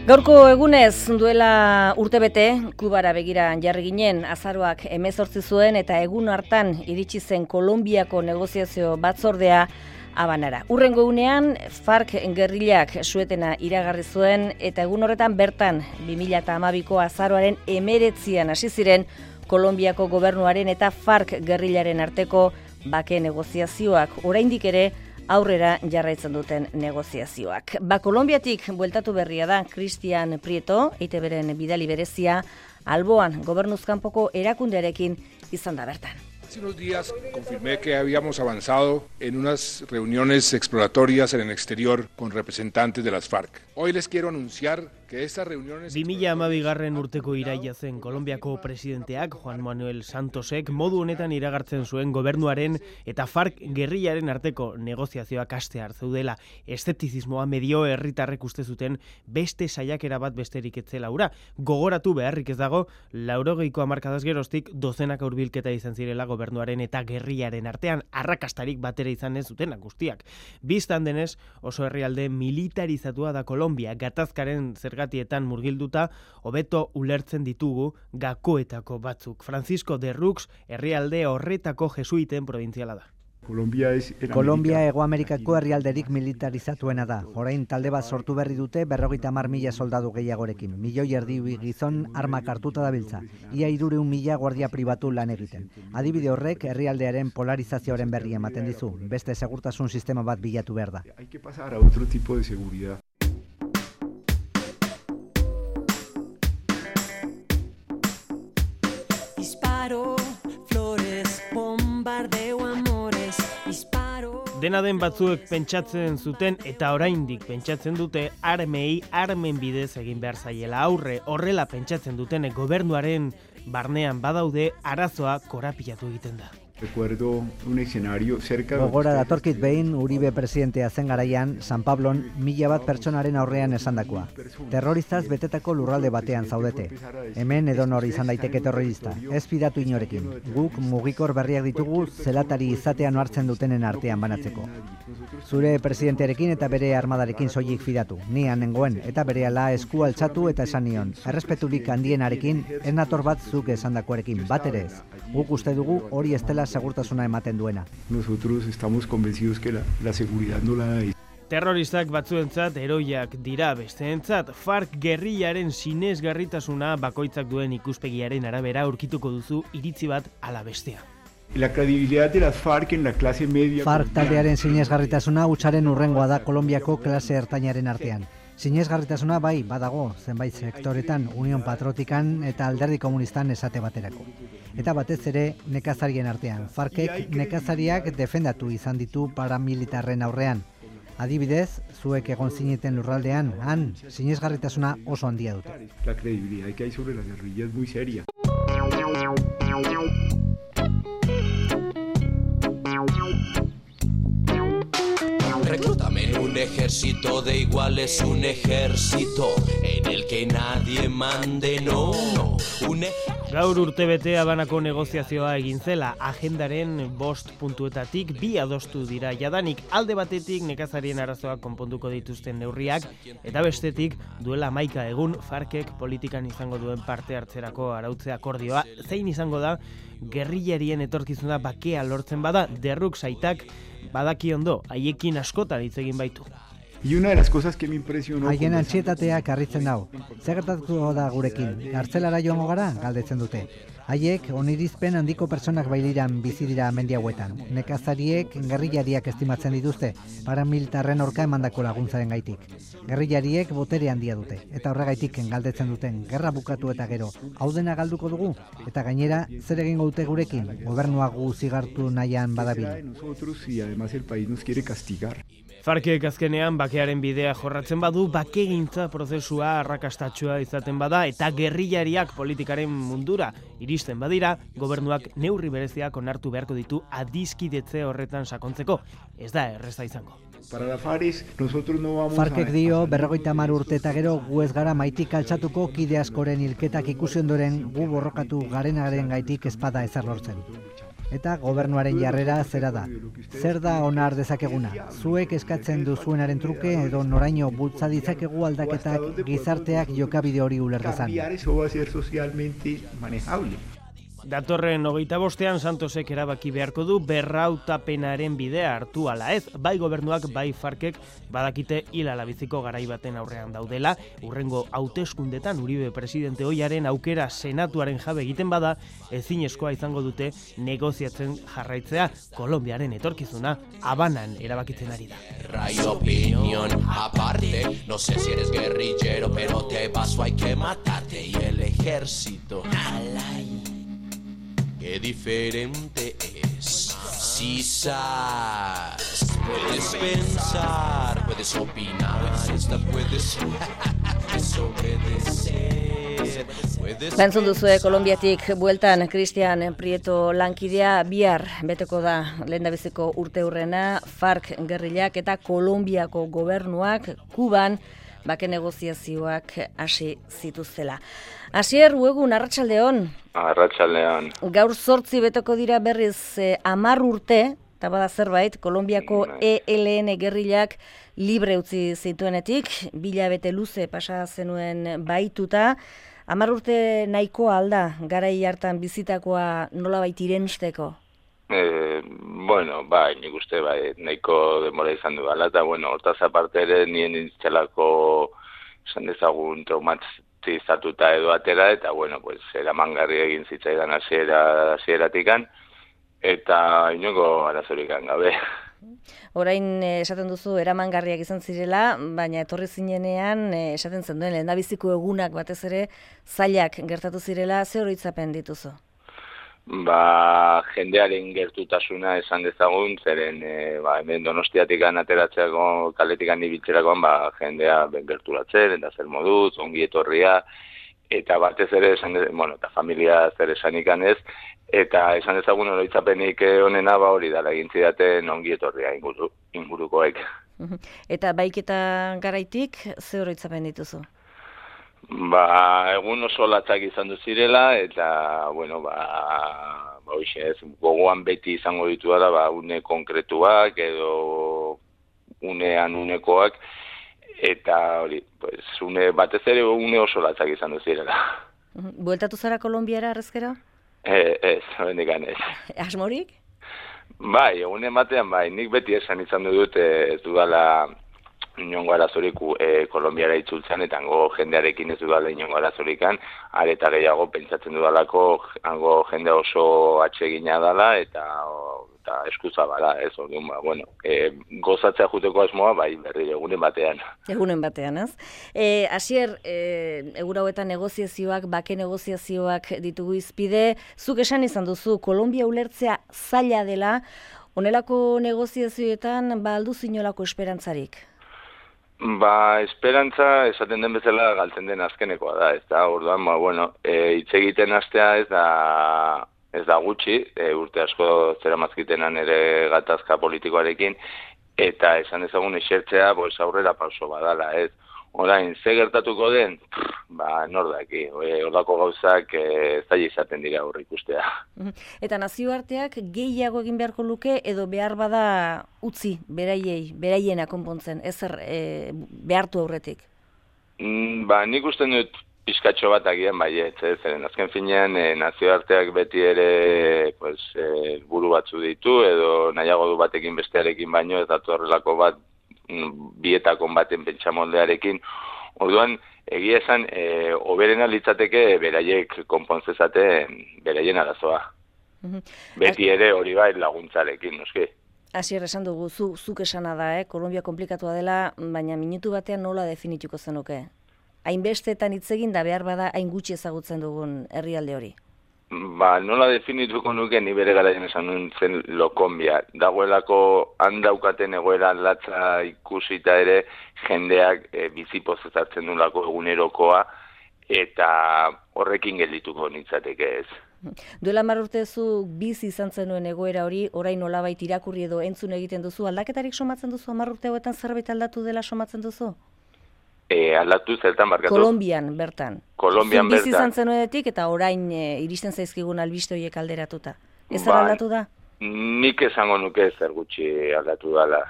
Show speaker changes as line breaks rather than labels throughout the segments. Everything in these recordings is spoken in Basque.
Gaurko egunez duela urtebete Kubara begira jarri ginen, azaroak 18 zuen eta egun hartan iritsi zen Kolonbiako negoziazio batzordea Habanara. Hurrengo egunean FARC gerrilak suetena iragarri zuen eta egun horretan bertan 2012ko azaroaren 19an hasi ziren Kolonbiako gobernuaren eta FARC gerrilaren arteko bake negoziazioak, oraindik ere aurrera jarraitzen duten negoziazioak. Kolonbiatik bueltatu berria da Cristian Prieto, EITBren bidali berezia, alboan gobernuzkanpoko erakundearekin izan da bertan.
Hace unos días confirmé que habíamos avanzado en unas reuniones exploratorias en el exterior con representantes de las FARC. Hoy les quiero anunciar que estas reuniones...
2012 urteko iraila zen Kolonbiako presidenteak Juan Manuel Santosek modu honetan iragartzen zuen gobernuaren eta FARC gerrilaren arteko negoziazioak hastear zeudela. Eszeptizismoa medio herritarrek uste zuten beste saiakera bat besterik ez zela hura. Gogoratu beharrik ez dago, 80ko hamarkadaz geroztik dozenaka hurbilketa izan zirela gobernuaren eta gerrilaren artean, arrakastarik batera izan ez zutenak guztiak. Bistan denez, oso herrialde militarizatua da Kolonbia, gatazkaren zergatietan murgilduta, hobeto ulertzen ditugu gakoetako batzuk. Francisco de Rux herrialde horretako jesuiten probintziala da.
Kolombia Hego Amerikako herrialderik militarizatuena da. Orain talde bat sortu berri dute 50.000 soldadu gehiagorekin. 1,5 gizon armak hartuta dabiltza. Ia 300.000 guardia pribatu lan egiten. Adibide horrek herrialdearen polarizazioaren berri ematen dizu. Beste segurtasun sistema bat bilatu behar da.
Hay que pasar a otro tipo de seguridad.
Disparo, flores, bombardeo, amores, disparo.
Dena den batzuek pentsatzen zuten eta oraindik pentsatzen dute armei armen bidez egin behar zaiela aurre. Horrela pentsatzen duten gobernuaren barnean badaude arazoa korapilatu egiten da.
Recuerdo un escenario cerca...
Gogora datorkit behin Uribe presidentea zen garaian, San Pablon 1000 pertsonaren aurrean esandakoa. Terroristaz betetako lurralde batean zaudete. Hemen edonor izan daiteke terrorista. Ez fidatu inorekin. Guk mugikor berriak ditugu zelatari izatean hartzen dutenen artean banatzeko. Zure presidentearekin eta bere armadarekin soilik fidatu. Nian nengoen eta berehala esku altxatu eta esan nion. Errespeturik handienarekin ez nator bat zuk esandakoarekin, bat ere ez. Guk uste dugu hori ez dela segurtasuna ematen duena.
Nosotros estamos convencidos que la seguridad no la da.
Terroristak batzuentzat heroiak dira besteentzat. FARC gerrilaren sinesgarritasuna bakoitzak duen ikuspegiaren arabera aurkituko duzu iritzi bat ala bestea.
La credibilidad de las FARC en la clase media...
FARC taldearen sinesgarritasuna hutsaren hurrengoa da Kolonbiako klase ertainaren artean. Sinesgarritasuna bai badago zenbait sektoretan Union Patriotikan eta Alderdi Komunistan esate baterako. Eta batez ere nekazarien artean. FARCek nekazariak defendatu izan ditu paramilitarren aurrean. Adibidez, zuek egon zineten lurraldean, han sinesgarritasuna oso handia dute.
La credibilidad que hay sobre la guerrilla es muy seria.
Reclútame en un ejército de iguales, un ejército en el que nadie mande, no.
Gaur urtebete Habanako negoziazioa egin zela, agendaren 5 puntuetatik 2 adostu dira jadanik, alde batetik nekazarien arazoak konponduko dituzten neurriak, eta bestetik duela 11 egun FARCek politikan izango duen parte hartzerako arautze akordioa, zein izango da gerrillarien etorkizuna bakea lortzen bada, derruk saitak badaki ondo, haiekin askotan hitz egin baitu.
Y una de las cosas que me impresionó...
Haien antxietateak harritzen dau. Zer gertatuko da gurekin? Kartzelara joango gara? Galdetzen dute. Haiek onirizpen handiko pertsonak bailiran bizi dira mendi hauetan. Nekazariek gerrillariak estimatzen dituzte, paramilitarren aurka emandako laguntzaren gaitik. Gerrillariek botere handia dute, eta horregaitik galdetzen duten, gerra bukatu eta gero, hau dena galduko dugu, eta gainera zer egingo dute gurekin, gobernua gu zigartu nahian badabil.
Nosotros y además el país nos quiere castigar.
FARCek azkenean bakearen bidea jorratzen badu, bakegintza prozesua arrakastatsua izaten bada eta gerrillariak politikaren mundura iristen badira, gobernuak neurri bereziak onartu beharko ditu adiskidetze horretan sakontzeko. Ez da erreza izango.
Para la FARC nosotros no vamos
FARCek dio 50 urte eta gero gu ez gara maitik altxatuko kide askoren hilketak ikusi ondoren gu borrokatu garenaren gaitik ezpada ezer lortzen. Eta gobernuaren jarrera zera da. Zer da onar dezakeguna? Zuek eskatzen duzuenaren truke edo noraino bultza ditzakegu aldaketak gizarteak jokabide hori uler dezan.
Datorren 25ean Santosek erabaki beharko du berrautapenaren bidea hartu ala ez, bai gobernuak bai Farkek badakite hilalabiziko garai baten aurrean daudela, hurrengo hauteskundetan Uribe presidente ohiaren aukera senatuaren jabe egiten bada, ezinezkoa izango dute negoziatzen jarraitzea, Kolonbiaren etorkizuna Habanan erabakitzen ari da.
Hay opinión aparte, no sé si eres guerrillero, pero te paso hay que matarte y el ejército. Qué diferente es. Si sabes, puedes pensar, puedes opinar, hasta puedes desobedecer.
Lantzun duzue Kolonbiatik bueltan Cristian Prieto lankidea bihar beteko da lehendabiziko urteurrena FARC gerrillak eta Kolonbiako gobernuak Kuban bake negoziazioak hasi zituztela. Asier, Uegun, arratsaldeon.
Arratsaldeon.
Gaur 8 beteko dira berriz 10 urte, eta bada zerbait, Kolonbiako ELN gerrillak libre utzi zituenetik, 2 hilabete luze pasa zenuen baituta, 10 urte nahikoa alda, garai hartan bizitakoa nolabait irensteko?
Bueno, bai, nik uste bai, nahiko denbora izan du gala, eta bueno, hortaz aparte ere nien intzelako esan dezagun traumatizatuta edo atera, eta bueno, pues eramangarri egin zitzaidan hasieratikan, eta inongo arazorikan gabe.
Orain esaten duzu eramangarriak izan zirela, baina etorri zinenean esaten zen duen lehendabiziko egunak batez ere zailak gertatu zirela, ze oroitzapen dituzu?
Jendearen gertutasuna esan dezagun, zeren hemen Donostiatikan ateratzeako, kaletikan ibiltzerakoan, jendea gerturatzen, eta zer moduz, ongi etorria, eta batez ere, eta familia zer esanikan ez, eta esan dezagun oroitzapenik onena hori dala egin zidaten ongi etorria ingurukoek.
Eta baiketa garaitik, ze oroitzapen dituzu?
Egun oso latzak izan du zirela, eta, gogoan beti izango ditu da, une konkretuak edo unekoak, eta hori, batez ere une oso latzak izan du zirela.
Bueltatu zara Kolonbiara arrezkero?
Ez, bendikan ez.
Asmorik?
Bai, egunen batean, nik beti esan izan dut ez dudala inongo arazorik Kolonbiara itzultzen, eta hango jendearekin ez dudala inongo arazorikan, areta gehiago pentsatzen dudalako hango jende oso atsegina dela, eta eskuzabala, ez, gozatzea juteko asmoa, berri egunen batean.
Egunen batean, ez? Asier, egun hauetan negoziazioak, bake negoziazioak ditugu izpide, zuk esan izan duzu, Kolonbia ulertzea zaila dela, honelako negoziazioetan, aldu zinolako esperantzarik?
Esperantza, esaten den bezala, galtzen den azkenekoa da, ez da, orduan, hitz egiten hastea ez da gutxi, urte asko zeramazkitenan ere gatazka politikoarekin, eta esan ezagun esertzea, aurrera pauso badala, ez. Orain, ze gertatuko den, nordaki, horako gauzak zaila izaten dira hor ikustea.
Eta nazioarteak gehiago egin beharko luke, edo behar bada utzi, beraiena konpontzen, ezer behartu aurretik?
Nik usten dut pizkatxo bat agian baiet, zeren azken finean nazioarteak beti ere buru batzu ditu, edo nahiago du batekin bestearekin baino, ez datu horrelako bat bietakon baten pentsamoldearekin. Orduan, egia esan, oberena litzateke beraiek konpontzezaten beraien arazoa. Beti ere hori bai laguntzarekin, noski.
Asier, esan dugu, zuk esana da, Kolombia komplikatua dela, baina minutu batean nola definituko zenuke? Hainbestetan hitz egin da behar bada hain gutxi ezagutzen dugun herrialde hori?
Nola definituko nuke ni bere garaian esan zen Lokonbia. Dagoelako handaukaten egoera latza ikusita ere jendeak bizipoz ezartzen dulako egunerokoa eta horrekin geldituko nintzateke ez.
Duela 10 urte zu bizi izan zenuen egoera hori, orain nolabait irakurri edo entzun egiten duzu, aldaketarik somatzen duzu 10 urte hauetan zerbait aldatu dela somatzen duzu?
Aldatu zertan barkatu?
Kolonbian bertan.
Kolonbian bertan.
Bizi izan zenuenetik eta orain iristen zaizkigun albiste horiek alderatuta. Ez aldatu da?
Nik esango nuke zer gutxi aldatu dela.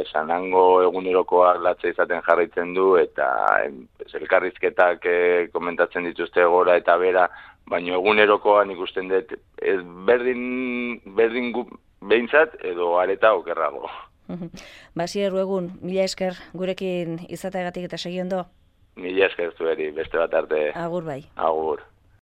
Esan hango egunerokoak latza izaten jarraitzen du, eta elkarrizketak komentatzen dituzte gora eta bera, baina egunerokoan ikusten dut berdin behintzat edo areta okerrago.
Basier Ruegun, mila esker gurekin izateagatik eta segi ondo?
Mila esker zueri, beste bat arte.
Agur bai.
Agur.